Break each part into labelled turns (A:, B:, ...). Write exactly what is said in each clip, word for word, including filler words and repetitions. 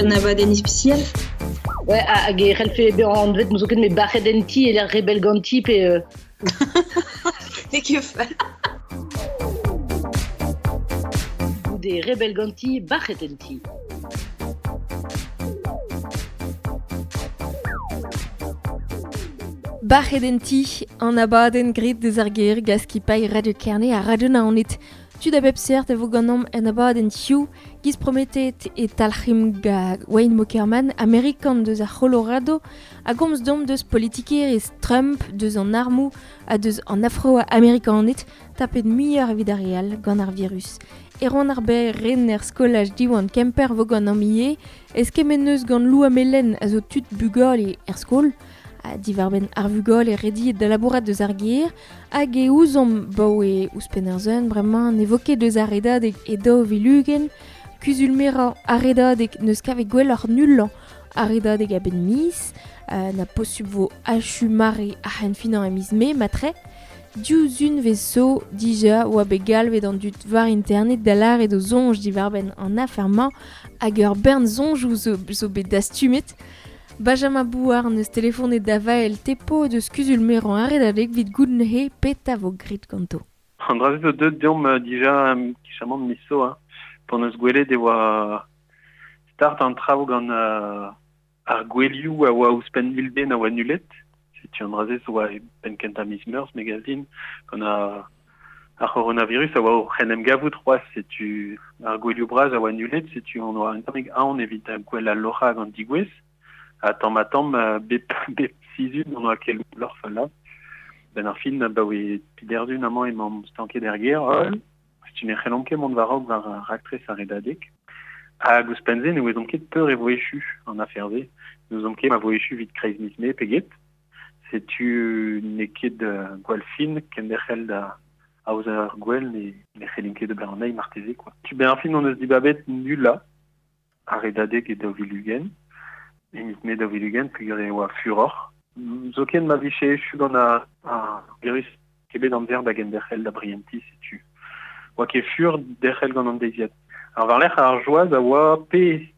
A: un abadenn ispisial.
B: Ouais, hag e c'hellfe bezañ anvet n'eus ket met bac'het en ti e lec'h rebel ganti pe... Euh...
A: N'eo ket fall.
B: Goude rebel ganti, bac'het en ti.
C: Bac'het en ti, an abadenn graet deus ar gêr gaskipailh Radio Kerne ha Radio Naoned. Tud a bep seurt a vo ganeomp en abadenn hiziv, giz prometet e talc'him ga Wayne Mockerman, Amerikan deus ar Colorado, a gomz deomp deus politikerezh Trump, deus an armoù ha deus an Afro-Amerikaned, tapet muioc'h evit ar re all gant ar virus. Erwan ar Berr rener skolaj Diwan Kemper vo ganeomp ivez, eskemm eus gant Lou Amelen a zo tud bugale er skol, a divarbenn ar vugale rediet da labourat deus ar gêr, hag e ouzomp baoe ouzhpenn ar zeun bremañ ne vo ket deus ar redadeg e daou vil ugent, kuzul-merañ ar redadeg n'eus kavet gwelloc'h nullañ ar redadeg a-benn miz, euh, na posubl vo achu mare ar c'henfinañ e miz mae matre. Diouzh unvez zo dija oa bet galvet an dud war internet da lâret o soñj divarbenn an afer-mañ hag ur bern soñjoù zo, zo bet dastumet. Benjamin Bouard neus telefonet da Vael Tepo deus kuzul-merañ ar redadeg evit goût neuze petra vo graet ganto.
D: An dra-se zo deuet deomp dija kichamant miz zo, hein. P'hon eus gwelet e oa start an traoù gant uh, ar gwelioù a oa ouzhpenn mil den a oa nullet. Setu an dra-se zo oa e penn kentañ miz Meurzh megazin gant ar, ar c'horonavirus a oa o c'hen em gavout c'hoazh, setu ar gwelioù bras a oa nullet, setu on oa un tammig aon evit gwell al loc'hañ gant digouez. Ha tamm ha tamm, bep, bep sizhun on oa kel loc'h falla. Ben ar fin, ba oe piderdun amañ emañ stanket er gêr, holl. Setu ne c'hellomp ket mont war-raok war ar raktres ar redadeg. Hag ouzhpenn se ne ouezomp ket peur e vo echu an afer-se. Ne ouezomp ket ma vo echu evit kreiz miz mae pe get. Setu n'eo ket uh, gwall fin kenderc'hel da aozañ ar gwell ne, ne c'hellin ket ober an eil marteze, quoi. Tu ben ar fin on eus dibabet nullañ ar redadeg e daou vil ugent. E miz mae daou vil ugent, peogwir e oa furoc'h. Zoken ma vije echu gant ar, ar virus ket bet amzer da genderc'hel da brientiñ, setu. Oa ket fur derc'hel gant an deiziad. Ar war-lerc'h ar joaz a oa pe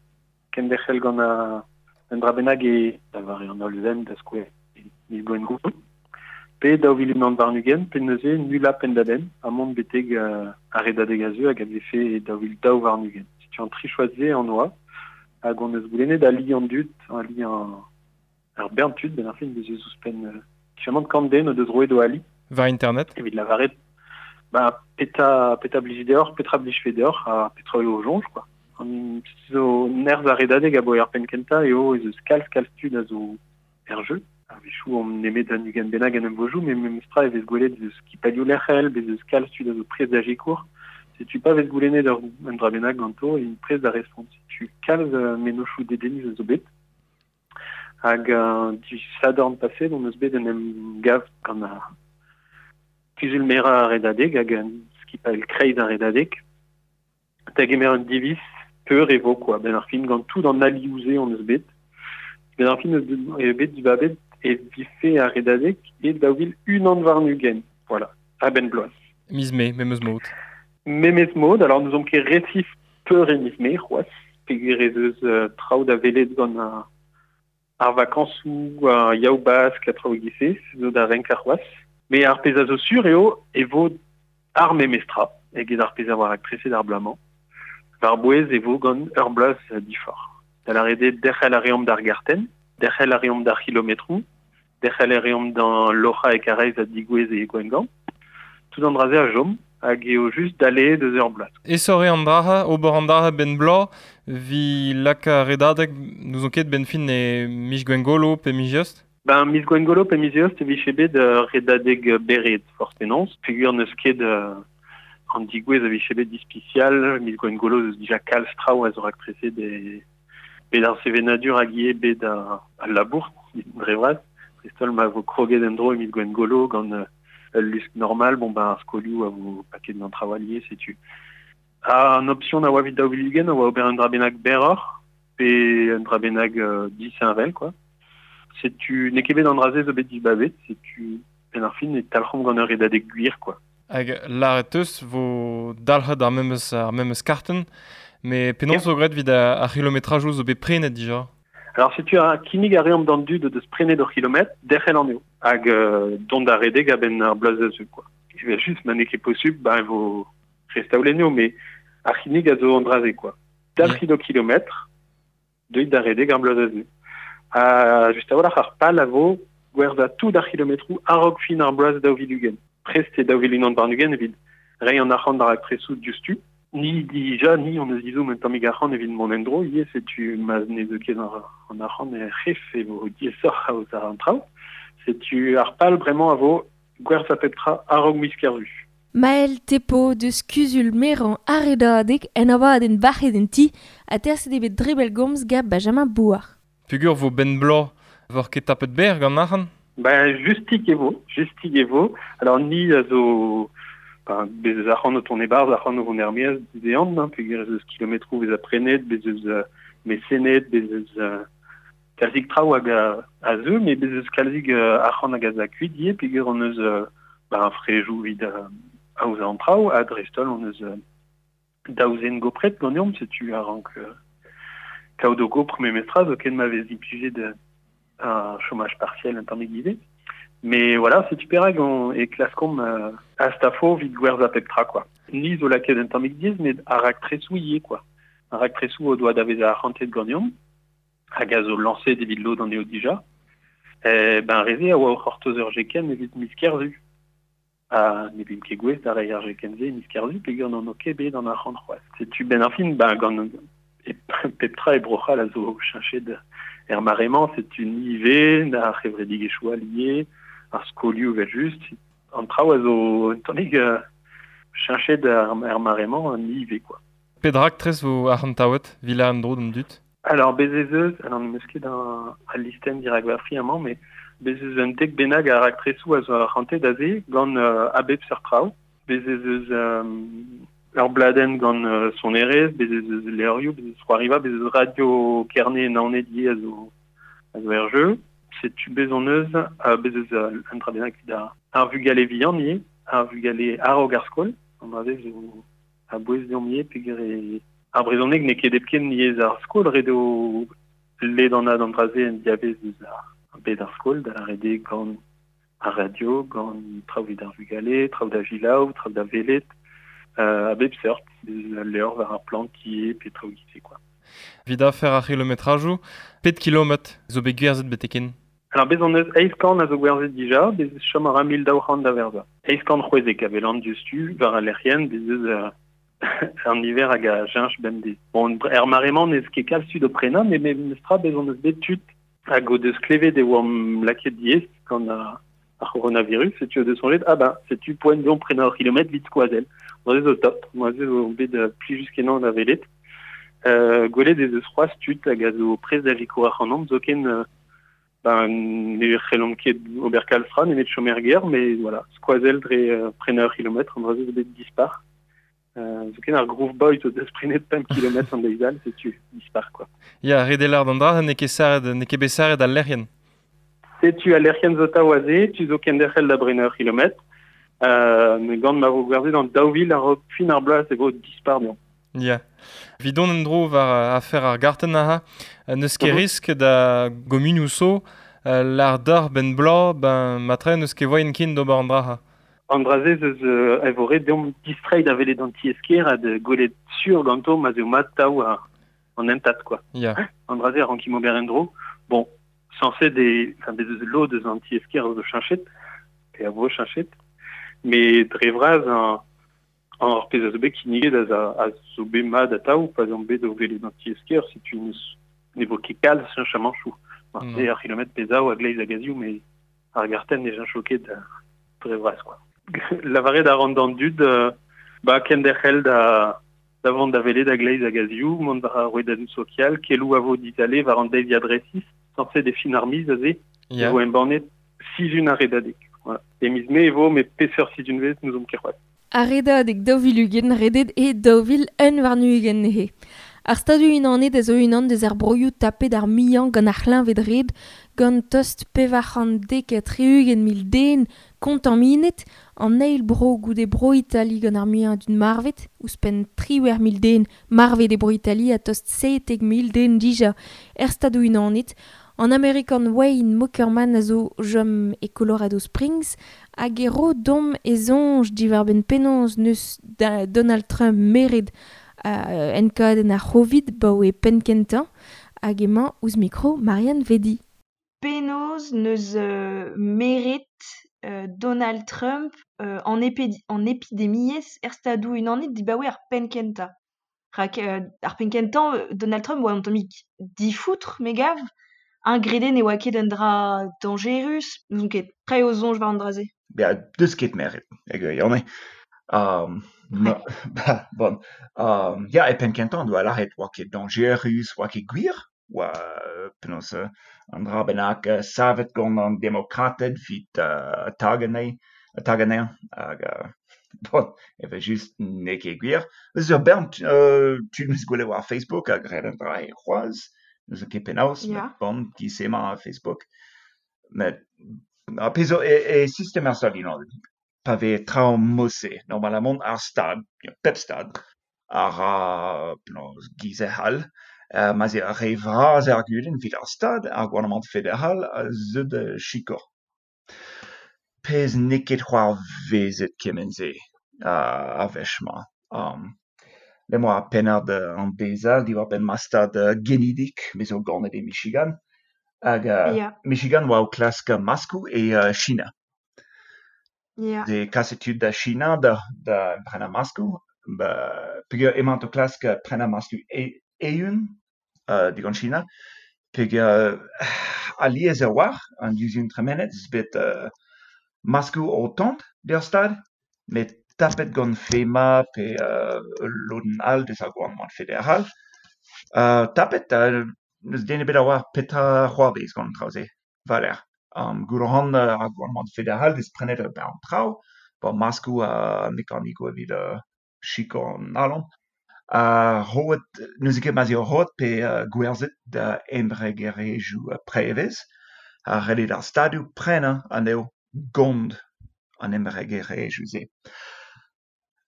D: kenderc'hel gant ar un dra bennak e da vare an holl zen da skouer miz Gwengolo, pe daou vil unan warn-ugent, pe neuze nullañ penn-da-benn ha mont betek uh, ar redadeg a zeu hag a vefe e daou vil daou warn-ugent. Setu an tri choaz-se an oa, hag on eus goulennet ali an dud, ali an ar bern tud, ben ar fin deus eus ouzhpenn uh, kichamant kant den o deus roet o ali.
E: War internet.
D: Evit lavaret, ba, petra, petra blij deoc'h, petra blijfe deoc'h, ha petra eo o soñj, quoi. An zo nerzh ar redadeg a bo ar penn kentañ eo ez eus kalz kalz tud a zo er jeu. A-wechoù on nemet un ugent bennak en em vojoù, met memestra e vez gwelet eus skipailhoù lec'hel, bez eus kalz tud a zo prest da sikour. Setu pa vez goulennet ur un dra bennak ganto, int prest da respont. Setu kalz uh, mennozhioù dedennus a zo bet. Hag uh, du sadorn paset, on eus bet en em gav gant ar kuzul-merañ ar redadeg hag un skipailh kreiz ar redadeg. Da gemer un diviz peur e vo, quoi. Ben ar fin gant tout an alioù-se on eus bet. Ben ar fin eus eo bet dibabet e vefe ar redadeg e daou vil unan warn-ugent. Voilà, a-benn bloaz.
E: Miz mae, memes mod.
D: Memes mod, alors nous omp ket resif peur e miz mae, c'hoazh, peogwir ez eus uh, traoù da welet gant ar, ar vakañsoù, ar yaou bask, ha traoù e-giz-se, zo da renkañ c'hoazh. Met ar pezh a zo sur eo e vo ar memestra, eget ar pezh a oa raktreset ar bloaz-mañ. War bouez e vo gant ur bloaz diforc'h. Da lâret eo derc'hel a reomp d'ar gartenn, derc'hel a reomp d'ar c'hilometroù, derc'hel a reomp d'an loc'hañ e Karaez ha digouez e Gwengamp. Tout an dra-se a chom, hag eo just dale deus ur bloaz.
E: Esore an draha, ober an draha ben bloaz, vi laka redadeg n'ouzon ket ben fin e miz Gwengolo pe miz Eost?
D: Ben, miz Gwengolo pe miz Eost e vije bet uh, redadeg berret, forzh penaos. Peogwir n'eus ket uh, an digouez a vije bet ispisial, miz Gwengolo eus dija kalz traoù a zo raktreset e bet ar sevenadur hag ivez bet ar, al labour, dre vras. Dreist-holl ma vo kroget en-dro e miz Gwengolo gant uh, ul lusk normal, bon ben ar skolioù a vo paket gant traoù allié, setu. An option a oa evit daou vil ugent a oa ober un dra bennak berroc'h, pe un dra bennak uh, disheñvel, quoi. Setu n'eo ket bet an dra-se zo bet dibabet, setu ben ar fin e talc'homp gant ur redadeg gwir, quoi.
E: Hag lâret eus vo dalc'het ar memes, ar memes kartenn, Me penaos zo graet evit ar c'hilometrajoù zo bet prenet dija.
D: Alors setu ar kinnig a reomp d'an dud deus prenet ur kilometr, derc'hel an eo. Hag euh, dont da redeg a-benn ar bloaz da zeu, quoi. Evel just, ma n'eo ket posubl, ba e vo restaolenno, mais ar c'hinnig a zo an dra-se, quoi. Dalc'hit ho kilometr, deuit da redeg ar bloaz da zeu. Ha just a-walc'h ar pal a vo gwerzhañ tout ar kilometroù a-raok fin ar bloaz daou vil ugent. Prest eo daou vil unan warn-ugent evit reiñ an arc'hant d'ar raktresoù diouzhtu. Ni dija, ni on eus izhomm un tammig arc'hant evit mont en-dro, ivez setu ma ne zeu ket an arc'hant er c'hef e vo diaesoc'h aozañ an traoù. Setu ar pal bremañ a vo gwerzhañ pep tra a-raok miz Kerzu.
C: Maël Tepo deus kuzul merañ ar Redadeg en abadenn bac'het en ti ha terset eo bet dre bellgomz gant Benjamin Bouard.
E: Peogwir vo benn bloaz vor ket tapet berr gant arc'hant?
D: Ben, justik e vo, justik e vo. Alors ni a zo... Ben, bez eus arc'hant o tont e-barzh, arc'hant o vont er-maez dizehan, hein, peogwir ez eus kilometroù vez prenet, bez eus euh, mesenet, bez eus euh, kalzik traoù hag a, a zeu, mais bez eus kalzik euh, arc'hant hag a za kuit ivez, peogwir on eus euh, ben, frejoù evit euh, aozañ an traoù, ha dreist-holl on eus euh, daou zen gopret ganeomp, setu a rank euh, kaout o gopr memestra, zoken ma vez implijet euh, un chômage partiel un tammig ivez. Mais voilà, setu perak on e klaskomp euh, a stafo evit gwerzhañ pep tra, quoi. Ni zo lakaet un tammig diaes, met ar raktresoù ivez, quoi. Ar raktresoù o doa da vezañ arc'hantet ganeomp, hag a zo lañset evit lod anezho dija. E, ben reze a oa o c'hortoz ur jekenn evit miz Kerzu. Ha ne vimp ket gouest da reiñ ar jekenn-se miz Kerzu, peogwir n'on o ket bet an arc'hant c'hoazh. Setu ben ar fin, ben gant e, pep tra e Bro-C'hall a zo cheñchet er mare-mañ, setu ni ivez, ar c'hevredigezhioù all ivez, ar skolioù evel just. An traoù a zo un tammig euh, cheñchet er, er mare-mañ, ni ivez, quoi.
E: Pet raktres vo arc'hantaouet, vila an dro d'an dud?
D: Alors, bez ez eus, alors n'em eus ket un, al listenn dirak va fri amañ, mais bez ez eus un dek bennak a raktresoù a zo arc'hantet aze gant euh, a bep seurt traoù. Bez ez eus euh, ur bladenn gant euh, sonerezh, bez ez eus levrioù, bez ez eus c'hoariva, bez ez eus radio Kerne Naoned ivez a zo, a zo er jeu. Setu bez on eus, euh, bez eus euh, un dra bennak evit ar, ar vugale vihan ivez, ar vugale a-raok ar skol, an dra-se zo a-bouez deomp ivez, peogwir e ar brezhoneg n'eo ket hepken yezh ar skol, ret eo ledanat an dra-se en diavez eus ar bed ar skol, da lâret eo gant ar radio, gant traoù evit ar vugale, traoù da selaou, traoù da welet, euh, a bep seurt, al levr war ar plant ivez, pe traoù giz-se, quoi.
E: Evit afer ar c'hilometrajoù, pet kilometr zo bet gwerzhet betek-henn?
D: Alors bez on eus eizh kant a zo gwerzhet dija, bez chom a ra mil daou c'hant da werzhañ. Eizh kant c'hwezek a welan diouzhtu war al lec'hienn, bez eus euh, un niver hag a cheñch bemdez. Bon, er mare-mañ n'eus ket kalz tud o prenañ, met memestra bez on eus bet tud hag o deus klevet e oamp lakaet diaes gant ar, ar c'horonavirus, setu o deus soñjet, ah ben, setu poent deomp prenañ ur kilometr evit skoazell. An dra-se zo top, an dra-se zo bet euh, plijus-kenañ da welet. Euh, gwelet ez eus c'hoazh tud hag a zo prest da sikour ac'hanomp, zoken euh, ben, ne c'hellomp ket ober kalz tra, nemet chom er gêr, mais voilà, skoazell dre euh, prenañ ur kilometr, an dra-se zo bet dispar. Euh, zoken ar Groove Boys o deus prenet pemp kilometr an deiz all, setu dispar, quoi.
E: Ya, ret eo lâret an dra, n'eo ket sarret, n'eo ket bet sarret al lec'hienn.
D: Setu al lec'hienn zo atav aze, tu zo kenderc'hel da brenañ ur kilometr. Euh, met gant ma vo gwerzhet an daou vil a-raok fin ar bloaz e vo dispar deomp.
E: Ya. Evit dont en-dro war afer ar gartenn aze, n'eus ket
D: Mhm.
E: risk da gomunioù zo, euh, lâr deoc'h benn bloaz, ben matre n'eus ket voaien ken d'ober an dra.
D: An dra-se eus euh, e vo ret deomp distreiñ da welet an tiez-kêr ha da gwelet sur ganto ma 'z eo mat tav ar an hentad, quoi.
E: Ya.
D: An dra-se a rankimp ober en-dro. Bon, sañset e, enfin, bez eus lod eus an tiez-kêr zo cheñchet, pe a vo cheñchet, mais dre vras an, an ar pezh a zo bet kinniget a, a, a zo bet mat atav, pa 'z omp bet o welet an tiez-kêr, setu n'eus ne vo ket kalz cheñchamanchoù.
E: Non.
D: Se ar kilometr pe zaou a gleiz hag a zehoù, mais ar gartenn ne cheñcho ket euh, dre vras, quoi. Lavaret a ran d'an dud, euh, ba kenderc'hel da da vont da welet a gleiz hag a zehoù, mont war ar rouedadoù sokial, keloù a vo dizale war an deiziad resis, sañset e fin ar miz aze,
E: Ya.
D: e vo embannet sizhun ar Redadeg. Voilà. E miz Mae e vo, met peseurt sizhunvezh n'ouzomp ket c'hoazh.
C: Ar Redadeg daou vil ugent redet e daou vil un warn-ugent neuze. Ar stadu unanet a zo unan deus ar broioù tapet ar muiañ gant ar c'hleñved red, gant tost pevar c'hant dek ha tri-ugent mil den kontaminet, an eil bro goude bro Itali gant ar muiañ dud marvet, ouzhpenn triwec'h mil den marvet e bro Itali ha tost seitek mil den dija er stadoù unanet. An Amerikan Wayne Mockerman a zo chom e Colorado Springs hag e ro deomp e soñj diwar-benn penaos neus da Donald Trump meret uh, enkadenn ar C'hovid baoe penn-kentañ hag emañ ouzh mikro Marianne Vedi.
A: Penaos neus euh, meret euh, Donald Trump euh, an, epidi- an epidemiezh er stadoù unanet dibaoe ar penn-kentañ. Rak euh, ar penn-kentañ Donald Trump oa un tammig difoutr me gav. Un grede ne oa ket un dra dañjerus, n'ouzon ket pre o soñj war an dra-se.
F: Ya, deus ket meret, e gwirionez. Um, no, ba, bon, um, ya, e penn-kentañ doa lâret oa ket dañjerus, oa ket gwir, oa penaos euh, an dra bennak euh, savet gant an demokrated evit euh, tagañ anezhi, tagañ anezhañ, hag euh, bon, evel-just n'eo ket gwir. Eus ur bern euh, tud 'meus gwelet war Facebook a graet an dra e c'hoazh, n'ouzon ket penaos,
A: Ya.
F: met bon, giz emañ ar Facebook. Met ar pezh zo e, e sistem ar stad unanet, pa vez traoù mod-se, normalamant ar stad, pep stad, a ra penaos giz e c'hall, euh, ma 'z eo ar re vras ar gudenn evit ar stad, ar gouarnamant federal a zeu da sikour. Pezh n'eo ket c'hoarvezet kement-se uh, ar wech-mañ. Um, Lem boa ar pennad uh, an deiz all diwar-benn ma stad uh, genidik, me zo ganet e Michigan. Hag uh,
A: Ya.
F: Michigan oa o klask maskoù e uh, China.
A: Ya.
F: De kaset tud da China da, da prenañ maskoù, ba, peogwir emaint o klask prenañ maskoù e, eeun uh, digant China, peogwir uh, alies a-walc'h an duzhun tremenet eus bet uh, maskoù o tont d'ar stad, met tapet gant FEMA pe uh, ul lodenn all deus ar gouarnamant federal. Uh, tapet, uh, n'eus den ebet a oar petra c'hoarvez gant an traoù-se, war-lerc'h. Um, goût a ran uh, ar gouarnamant federal deus prenet ur bern traoù, bon, maskoù ha mekanikoù evit uh, sikour an alan. Ha roet, n'eus ket ma'z eo roet pe uh, gwerzhet da embregerezhioù uh, prevez, ha ret eo d'ar stadoù prenañ anezho gant an embregerezhioù-se.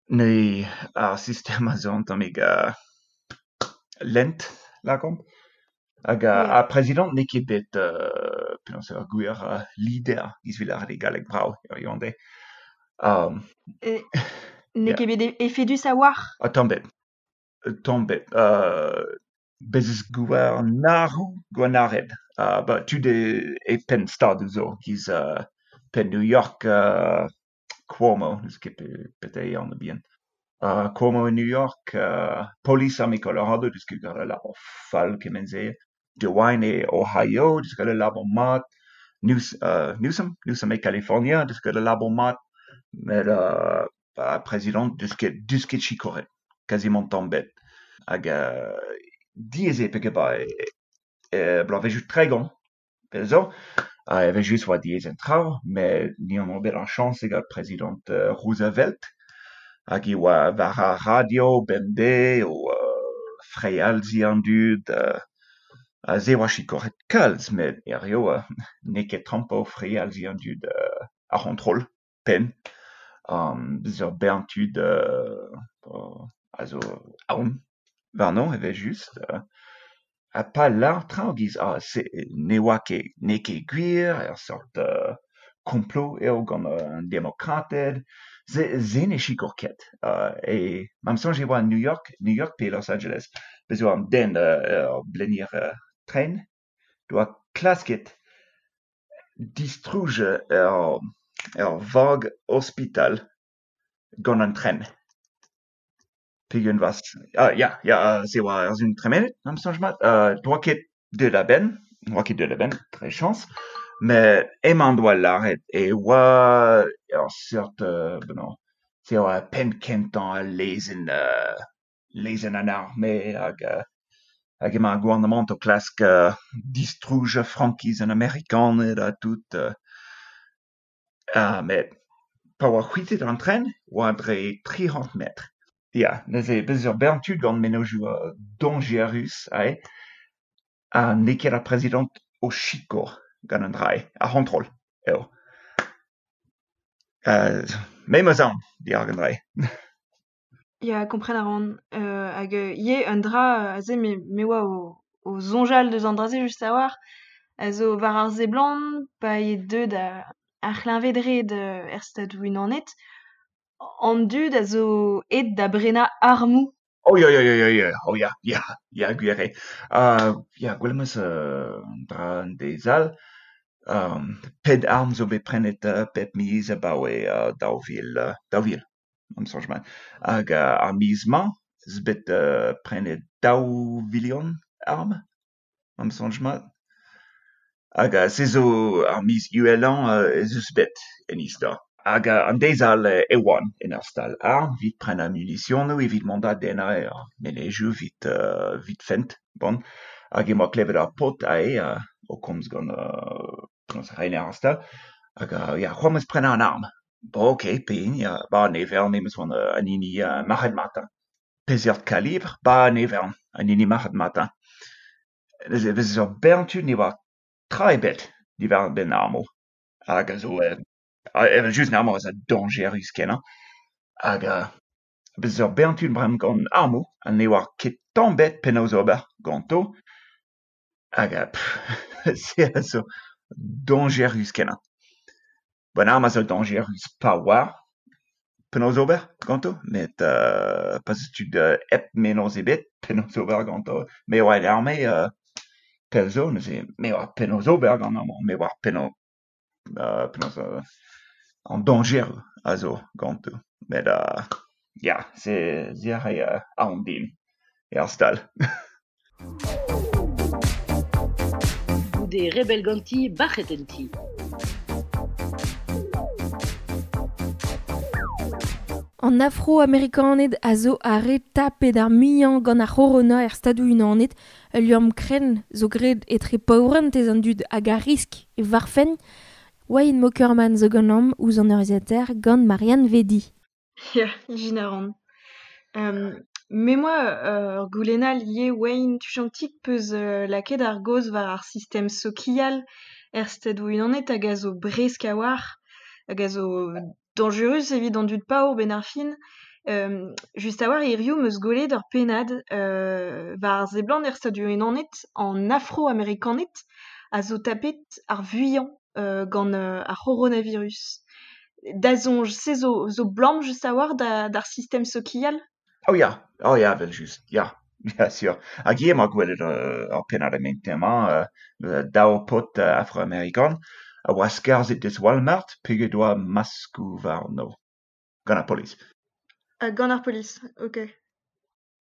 F: Ne ar sistem a zo un tammig uh, lent, lakaomp. Hag uh,
A: Ya.
F: ar prezidant n'eo ket bet euh, penaos ur gwir uh, leader giz 'vit lâret e galleg brav hiziv an deiz. Um,
A: E, n'eo
F: Ya.
A: ket bet efedus a-walc'h.
F: Ha tamm ebet. Tamm ebet. Uh, bez eus gouarnaroù, gouarnared. Uh, ba, tud e, e penn stadoù zo, giz uh, penn New York, uh, Cuomo, n'eus ket pe, pet eo anv bihan. Uh, Cuomo e New York, uh, Polis arme Colorado, deus ket graet ul labour fall kement-se. DeWine e Ohio, deus graet ul labour mat. News, uh, Newsom, Newsom e California, deus graet ul labour mat. Met uh, ba, prezidant deus ket, deus ket sikouret, kazimant tamm ebet. Hag uh, diaes eo peogwir ba e, e bloavezhioù tregont, pell zo, ha evel-just oa diaes an traoù, met ni hon oa bet ar chañs e gant prezidant uh, Roosevelt, hag e oa war ar radio bemdez o uh, frealziñ an dud, uh, ha se oa sikouret kalz, met hiziv uh, n'eo ket Trump o frealziñ an dud uh, ar c'hontrol, penn. Um, bez ur bern tud uh, uh, a zo aon warno evel-just. Uh, ha pa lâr traoù giz ah, se ne oa ket, n'eo ket gwir, ur seurt uh, complot eo gant an demokrated, se, se ne sikour ket. Uh, e ma 'm soñj e oa New York, New York pe Los Angeles, bez oa an den uh, ur blenier uh, tren, doa klasket distruj ur, ur vag ospital gant an tren. Peogwir vas... Ah, ya, ya, se oa ar sizhun tremenet, am soñj mat. Uh, doa ket deuet a-benn, doa ket deuet a-benn, dre chañs, met emañ doa lâret e oa ur seurt, euh, bon, se oa penn kentañ al lezenn, uh, lezenn an arme hag, uh, hag emañ ar gouarnamant o klask uh, distruj frankiz an Amerikaned ha tout. Uh, ah, met pa oa c'hwitet an tren, oa dre tri c'hant metr. Ya, neuze bez ur bern tud gant mennozhioù uh, dañjerus ae, ha n'eo ket ar prezidant o sikour gant an dra-se, ar c'hontrol eo. Euh, me 'm eus aon dirak an dra-se.
A: Ya, kompren a ran. Euh, hag euh, ivez un dra aze me, me oa o, o soñjal deus an dra-se just a-walc'h, a zo war ar seblant pa eo deuet ar c'hleñved-red er Stadoù-Unanet, an dud a zo aet da brenañ armoù.
F: Oh ya, ya, ya, ya, ya, oh ya, ya, ya, gwir eo. Uh, ya, gwelet 'm eus uh, an dra an deiz all. Um, pet arm zo bet prenet uh, pep miz abaoe uh, daou vil, uh, daou vil, am soñj mat. Hag uh, ar miz-mañ eus bet uh, prenet daou vilion arm, am soñj mat. Hag uh, se zo ar miz uhelañ uh, ez eus bet en istor. Hag uh, an deiz all e oan en ur stal arm evit prenañ munisionoù, evit mont da dennañ er menezioù evit, uh, evit fent, bon. Hag emañ klevet ar paotr aze uh, o komz gant uh, gant rener ar stal. Hag uh, ya, c'hoant 'm eus prenañ an arm. Bon, ok, pehini, uh, ba ne vern, me 'm eus c'hoant uh, an hini uh, marc'had-matañ. Peseurt kalibr? Ba ne vern, an hini marc'had-matañ. Neuze vez ur bern tud ne oa tra ebet diwar-benn armoù. Hag a zo euh, evel-just an armoù a zo dañjerus kenañ. Hag uh, bez ur bern tud bremañ gant armoù ha ne oar ket tamm ebet penaos ober ganto. Hag uh, pff, se a zo dañjerus kenañ. Bon, arm a zo dañjerus pa oar penaos ober ganto, met uh, pa 'z eus tud uh, hep mennozh ebet penaos ober ganto. Me oa en arme uh, pell zo, neuze me oar penaos ober gant armoù, me oar penaos, uh, penaos uh, an dañjer a zo ganto. Met uh, ya, se, se a rae uh, aon din er stal.
B: Goude rebel ganti, bac'het en ti.
C: An afro-amerikaned a zo ar re tapet ar muiañ gant ar c'horona er Stadoù-Unanet, ul liamm krenn zo graet etre paourentez an dud hag ar risk e varfen. Wayne Mockerman zo ganeomp ouzh an urzhiataer gant Marianne Vedi.
A: Ya, ijin a ran. Um, me moa ur uh, goulennal ivez Wayne tuchantik peus uh, lakaet ar gaoz war ar sistem sokial er Stadoù-Unanet hag a zo bresk a-walc'h, hag a zo dañjerus evit an dud paour benn ar fin. Um, just a-walc'h hiziv 'm eus gwelet ur pennad uh, war ar seblant er Stadoù-Unanet an afro-amerikaned a zo tapet ar vuiañ uh, gant uh, ar c'horonavirus. Da soñj, se zo, zo blam just a-walc'h da, d'ar sistem sokial?
F: Oh ya, oh ya, evel-just, ya, ya, sur. Hag ivez 'ma gwelet uh, ur pennad e-mañ uh, daou paotr uh, afro-amerikan a oa skarzhet deus Walmart peogwir doa maskoù warno. Gant ar polis.
A: Uh, gant ar polis, ok.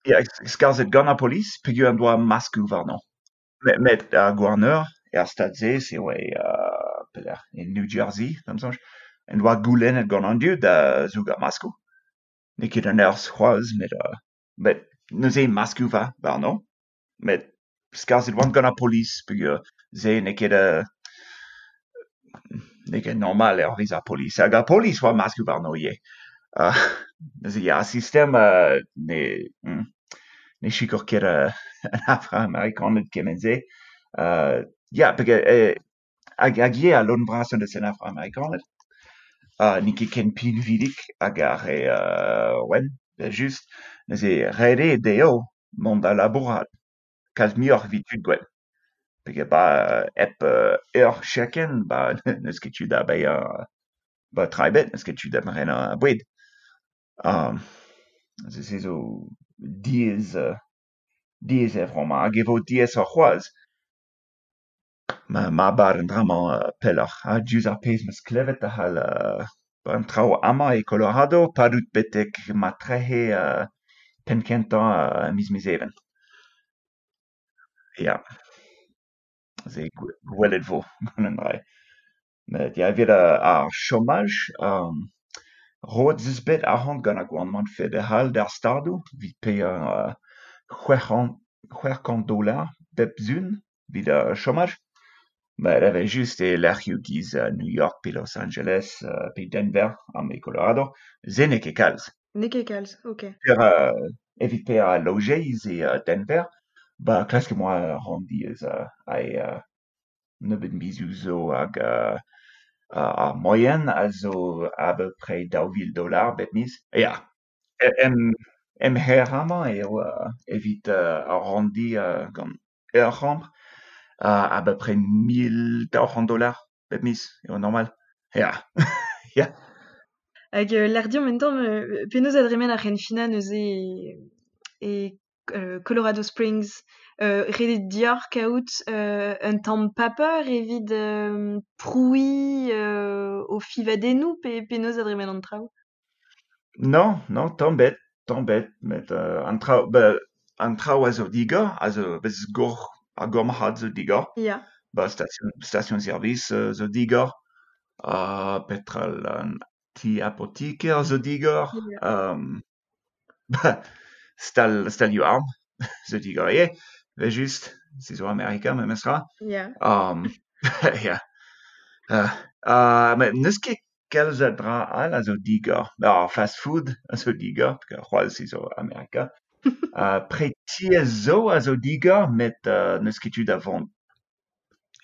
F: Ya, skarzhet gant ar polis peogwir en doa maskoù warno. Met, met ar gouarneur er stad-se, se oa uh, pelec'h, e New Jersey, d'am soñj, en doa goulennet gant an dud da zougañ maskoù. N'eo ket an urzh c'hoazh, met, uh, met neuze maskoù va warno. Met skarzhet oant gant ar polis peogwir se n'eo ket uh, n'eo ket normal hervez ar polis. Hag ar polis oa maskoù warno ivez. Uh, neuze ya, ar sistem uh, ne, mm, ne sikour ket uh, an afro-amerikaned kement-se. Uh, ya, peogwir eh, hag, hag ivez al lodenn vrasañ deus an afro-amerikaned. Uh, n'eo ket ken pinvidik hag ar re uh, wenn, just. Neuze ret eo dezho mont da labourat kalz muioc'h evit tud gwenn. Peogwir ba hep uh, ur chekenn, ba n'eus ket tu da baeañ ba tra ebet, n'eus ket tu da brenañ boued. Um, se se zo diaes, uh, diaes er vro-mañ, hag e vo diaesoc'h c'hoazh. Ma, ma bar an dra-mañ uh, pelloc'h. Ha diouzh ar pezh 'm eus klevet a c'hall uh, an traoù amañ e Colorado padout betek ma trec'he uh, penn-kentañ uh, miz Mezheven. Ya. Se gwelet vo gant an dra. Met ya, evit uh, ar chomaj, um, roet 'z eus bet arc'hant gant ar gouarnamant federal d'ar stadoù evit paeañ uh, c'hwec'h kant dolar bep sizhun evit ar chomaj. Met evel-just e lec'hioù giz uh, New York pe Los Angeles uh, pe Denver amañ e Colorado, se n'eo ket kalz.
A: N'eo ket kalz, ok.
F: Per, euh, evit per a lojeiz e uh, Denver, ba klask moa ranndi eus uh, a uh, nebeut mizioù zo hag uh, ar moyen a zo à peu près daou vil dollars bep miz. Ya, em, em her amañ eo uh, evit uh, ar ranndi uh, gant ur c'hambr uh, à peu près mil daou c'hant dollars bep miz, eo normal. Ya, ya.
A: Hag euh, l'air diom en tamm, euh, penaos a dremen ar c'henfinañ neuze e, e euh, Colorado Springs, euh, redet dior kaout euh, un tamm paper evit euh, prouiñ euh, o fivadennoù pe penaos a dremen an traoù?
F: Non, non, tamm bet, tamm bet, met euh, an traoù, ba, an traoù a zo digor, a zo bez gor, ar gormarc'had zo digor.
A: Ya.
F: Ba, station, station service euh, zo digor, uh, petrol an ti apotiker zo digor,
A: Ya.
F: um, ba, stal, stalioù arm zo digor ivez, ve just, se zo Amerika memestra.
A: Ya.
F: Um, ya. Uh, uh, met n'eus ket kalz a dra all a zo digor. Ar fast food a zo digor, peogwir c'hoazh se zo Amerika. Uh, preti a zo a zo digor, met uh, n'eus ket tu da vont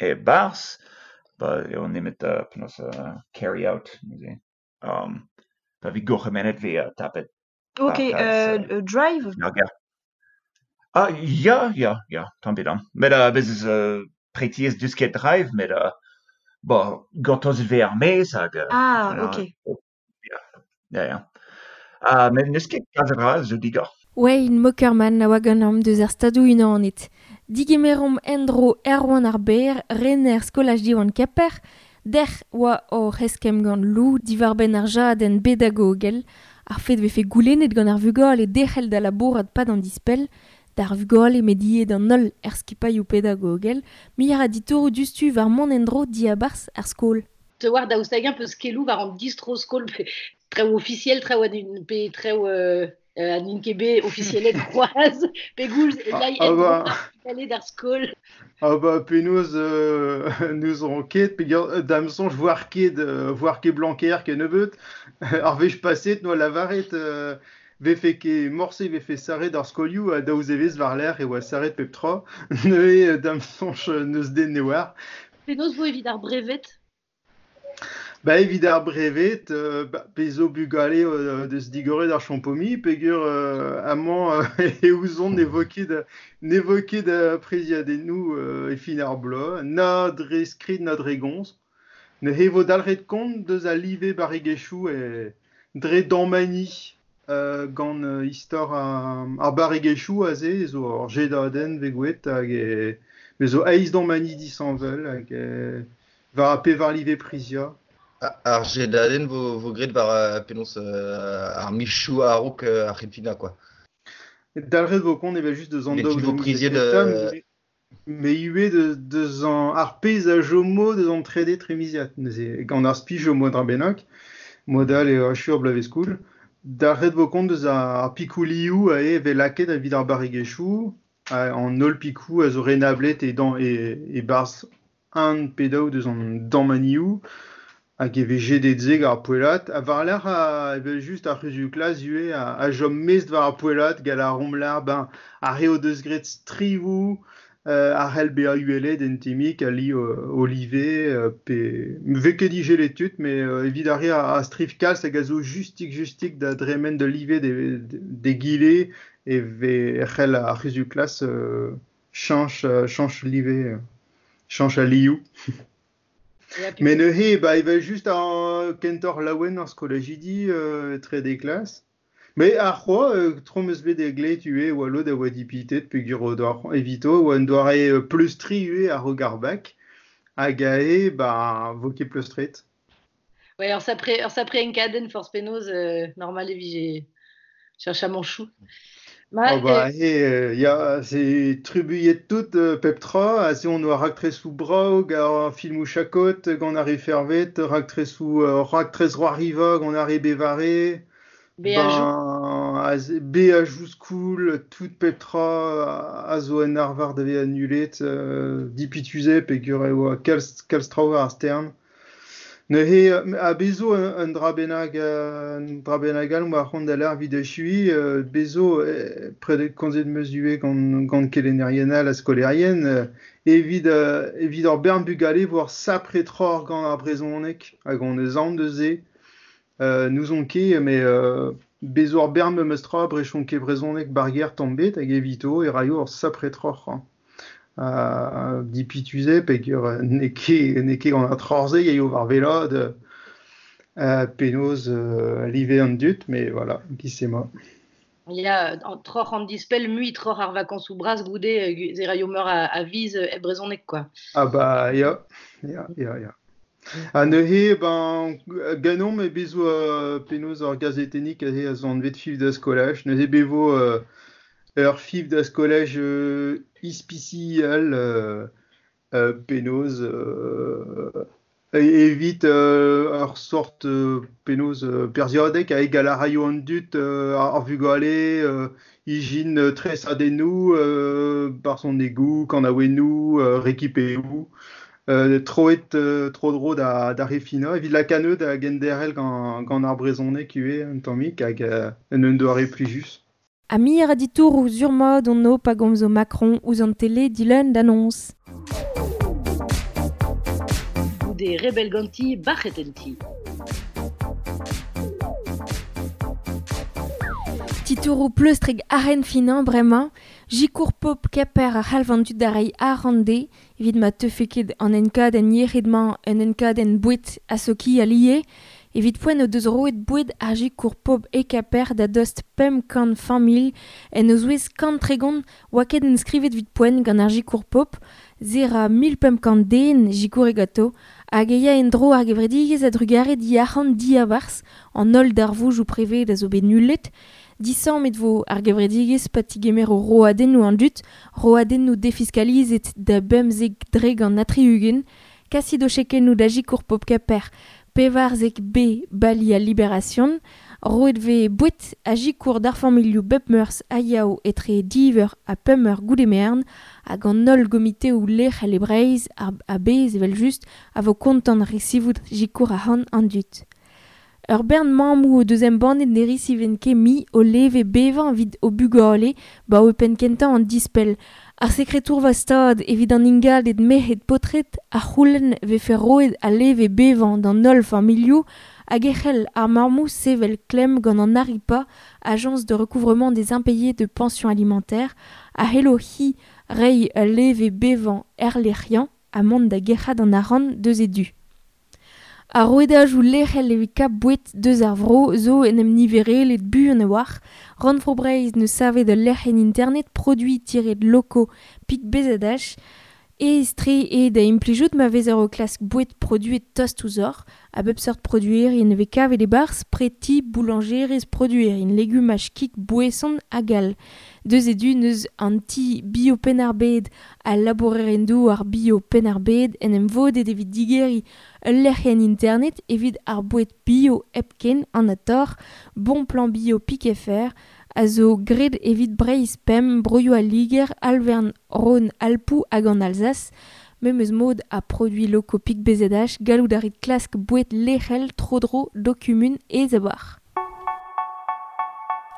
F: e-barzh, ba eo nemet uh, penaos uh, carry out, neuze. Um, pa vez gourc'hemennet vez uh, tapet
A: Ok,
F: ar plas,
A: euh,
F: euh,
A: euh, drive?
F: ar ger. Ah, ya, ya, ya, tamm bet an. Met uh, bez eus uh, pretiez deus ket drive, met uh, bo, gortozet vez ar maez hag... Uh,
A: Ah,
F: voilà.
A: ok.
F: Ya, ya, ya. Uh, met n'eus ket kalz a dra zo digor.
C: Wayne Mockerman a oa ganeomp deus ar stadoù unanet. Digemeromp endro Erwan ar Ber, rener skolaj Diwan Kemper, dec'h oa hor eskemm gant Lou diwar-benn ar jadenn bedagogel, ar fet vefe goulennet gant ar vugale derc'hel da labourat pad an dispell, d'ar vugale mediet an holl er skipailhoù pedagogel, muioc'h a ditouroù diouzhtu war mont endro diabarzh ar skol.
B: Te war daoust hag-eñ peus keloù war an distro-skol pe traoù ofisiel, traoù an pe traoù euh, euh, an int ket bet ofisielet c'hoazh, pegoulz e
G: Ah,
B: lay
G: ah
B: endro
G: ba.
B: ar vugale d'ar skol.
G: Ah ba penaos euh, nous on ket peogwir euh, da'm soñj voar ket euh, voar ket Blanquer ket nebeut ar wech paset noa lavaret euh, vefe ket morse vefe sarret ar skolioù ha daou zevezh war-lerc'h e oa sarret pep tra neuze da'm soñj n'eus den ne oar.
B: Penaos vo evit ar brevet?
G: Ba evit ar brevet, euh, ba, pe zo bugale euh, deus digoret ar champomi, peogwir euh, amañ euh, e ouzon ne vo ket ne vo ket da preziadennoù euh, e fin ar bloaz, na dre skrid na dre gomz. Ne vo dalc'het kont deus al live barregezhioù e dre damani euh, gant euh, istor ar, ar barregezhioù aze, zo ur jedadenn vegouet hag e, me zo eizh damani disheñvel hag e, war ar pevar live prizia.
H: Ah, ar jedadenn vo, vo graet war euh, penaos euh, ar michoù a-raok euh, ar c'henfinañ, quoi.
G: Dalc'het vo kont evel just deus an
H: Mais
G: daou
H: tu vo
G: daou
H: priziet,
G: kentañ,
H: euh,
G: mais, mais ivez deus, deus an ar pezh a jomo deus an trede tremiziad. Neuze, gant ar spi jomo dra bennak, modal eo achu ar bloavezh skoul. Dalc'het vo kont deus ar, ar pikoù lioù a eo vel lakaet evit ar barregezhioù, an holl pikoù a zo renablet e dan, e, e barzh un pe daou deus an dammanioù, hag e vez jedet se gant ar poellad, ha war-lerc'h a, evel just ar c'huzul klas ivez a, a chom mest war ar poellad gant ar romlar, ben, ar re o deus graet strivoù, euh, ar c'hell bezañ uhelet en temik, a li, euh, olive, euh, pe vez ket digelet tud, mais euh, evit ar re a, a striv kalz hag a zo justik justik da dremen de live de, de, de gile, e vez c'hell ar c'huzul klas, euh, chañch, euh, chañch live, euh, chañch a lioù.
B: Ya,
G: Mais neuze, ba, evel just ar kentoc'h laouen ar skolajidi, euh, trede klas. Mais ar c'hoaz, euh, tro 'm eus bet e glet ivez oa lod a oa dipitet peogwir o doa c'hoant evito, oa un doare, euh, pleustriñ ivez a-raok ar bak, hag ae, ba, vo ket pleustret.
B: Ouais, ur sapre, ur sapre enkadenn forzh penaos, euh, normal e vije cherch amañchoù. Ma,
G: Oh bah,
B: euh,
G: he, euh, ya, c'est trubuilhet tout, euh, pep tra, aze on oa raktresoù brav, gant ar filmoù chakot, gant ar re fervet, raktresoù, euh, raktres Roariva, gant ar re bevare,
B: Beajoù.
G: ben, aze, beajoù skoul, tout pep tra, a zo en arvar da vezañ annulet, euh, dipituze peogwir e oa kalz, kalz traoù war ar stern. Neuze a bezo un, un dra bennak un dra bennak all war c'hont da l'ar vid achui euh, bezo eh, pred komzet meus ivez gant gant kelennerien all ha skolaerien euh, evit euh, evit ur bern bugale war sapre troc'h gant ar brezhoneg hag on eus aon deus se euh, n'ouzon ket mais euh, bezo ur bern memes tra brechon ket brezhoneg barger tamm bet hag evito e raio ur sapre troc'h hein. Uh, dipituze peogwir n'eo ket n'eo ket gant ar troc'h-se eo war velod euh, penaos euh, live an dud mais voilà giz emañ.
B: Ya, an troc'h an dispell mui troc'h ar vakañsoù bras goude ze raio meur a, a viz e brezhoneg quoi.
G: Ah bah ya, ya, ya, ya. Ha neuze ben ganeomp e bezo euh, penaos ur gazetennig aze a zo anvet Fiv da skolaj. Neuze bevo euh, ur Fiv da skolaj euh, ispisial euh, euh, penaos euh, evit euh, ur sort euh, penaos euh, perzhiadeg hag a raio an dud euh, ar vugale euh, ijin euh, tresadennoù euh, barzhonegoù, kanaouennoù, euh, rekipeoù euh, troet euh, tro-dro da, da refinañ evit lakaat da genderc'hel gant, gant ar brezhoneg ivez un tammig hag euh, un un doare plijus.
C: Ha mir a ditouroù sur-mat on o pa gomzo Macron ouzh an tele dileun d'annonce.
B: Goude rebel ganti bac'het en ti.
C: Titouroù pleustrek arren finañ bremañ, Jikour pop Kemper a c'halv an dud da reiñ arc'hant dezhe, evit ma teufe ket an enkadenn yec'hed-mañ un enkadenn boued ha sokial ivez, evit poent o deus roet boued ar Jikour pop e Kemper da dost pemp kant familh en o zouez kant tregont oa ket enskrivet evit poent gant ar Jikour pop, se ra mil pemp kant den jikour e ganto, hag e ya en-dro ar gevredigezh a-drugarez diarc'hant diabarzh an holl darvoudoù prevez a zo bet nullet. Disammet vo ar gevredigezh pa tigemero roadennoù an dud, roadennoù defiskalizet da bemzek dre gant ha tri-ugent, kasit o chekennoù da Jikour pop Kemper pevarzek B bali al Libération, roet vez boued ha jikour d'ar familhoù bep meurzh ha yaou etre div eur ha pemp eur goude merenn hag an holl gomiteoù lec'hel e Breizh ar a-bezh evel-just a vo kontant resivout jikour arc'hant an dud. Ur bern mammoù o deus embannet ne resivent ket mui o leve bevañ evit o bugale ba o penn kentañ an dispell. Ar sekretour stad evit an ingalded merc'hed paotred a c'houlenn vefe roet al leve bevañ d'an holl familhoù hag e c'hell ar mammoù sevel klemm gant an ARIPA, Agence de recouvrement des impayés de pension alimentaire, a c'hello hi reiñ ul leve bevañ erlec'hiañ ha mont da gerc'hat an arc'hant deus e du. Ar rouedajoù lec'hel evit kap boued deus ar vro zo en em niverelet buan a-walc'h. Rannvro Breizh neus savet ul lec'hienn internet produits-locaux pik B Z H aes-tre eo da implijout ma vezer o klask boued produet tost ouzhoc'h, a bep seurt produerien e vez kavet e-barzh preti, boulanjerezh, produerien, legumaj, kig, boeson hag all. Deus e du neus an ti bio Penn-ar-Bed ha labourerien-douar bio Penn-ar-Bed en em vodet evit digeriñ ul lec'hienn internet evit ar boued bio hepken an ator, bon plan bio pik F R, a zo graet evit Breizh pemp, broioù al Liger, Alvern, Rhône, Alpoù hag an Alsace. Memes mod a produits locaux pik B Z H, gallout a rit klask boued lec'hel tro-dro d'ho kumun aes a-walc'h.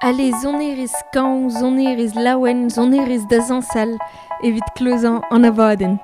C: Allez, sonerezh skañv, sonerezh laouen, sonerezh da zañsal evit klozañ an abadenn.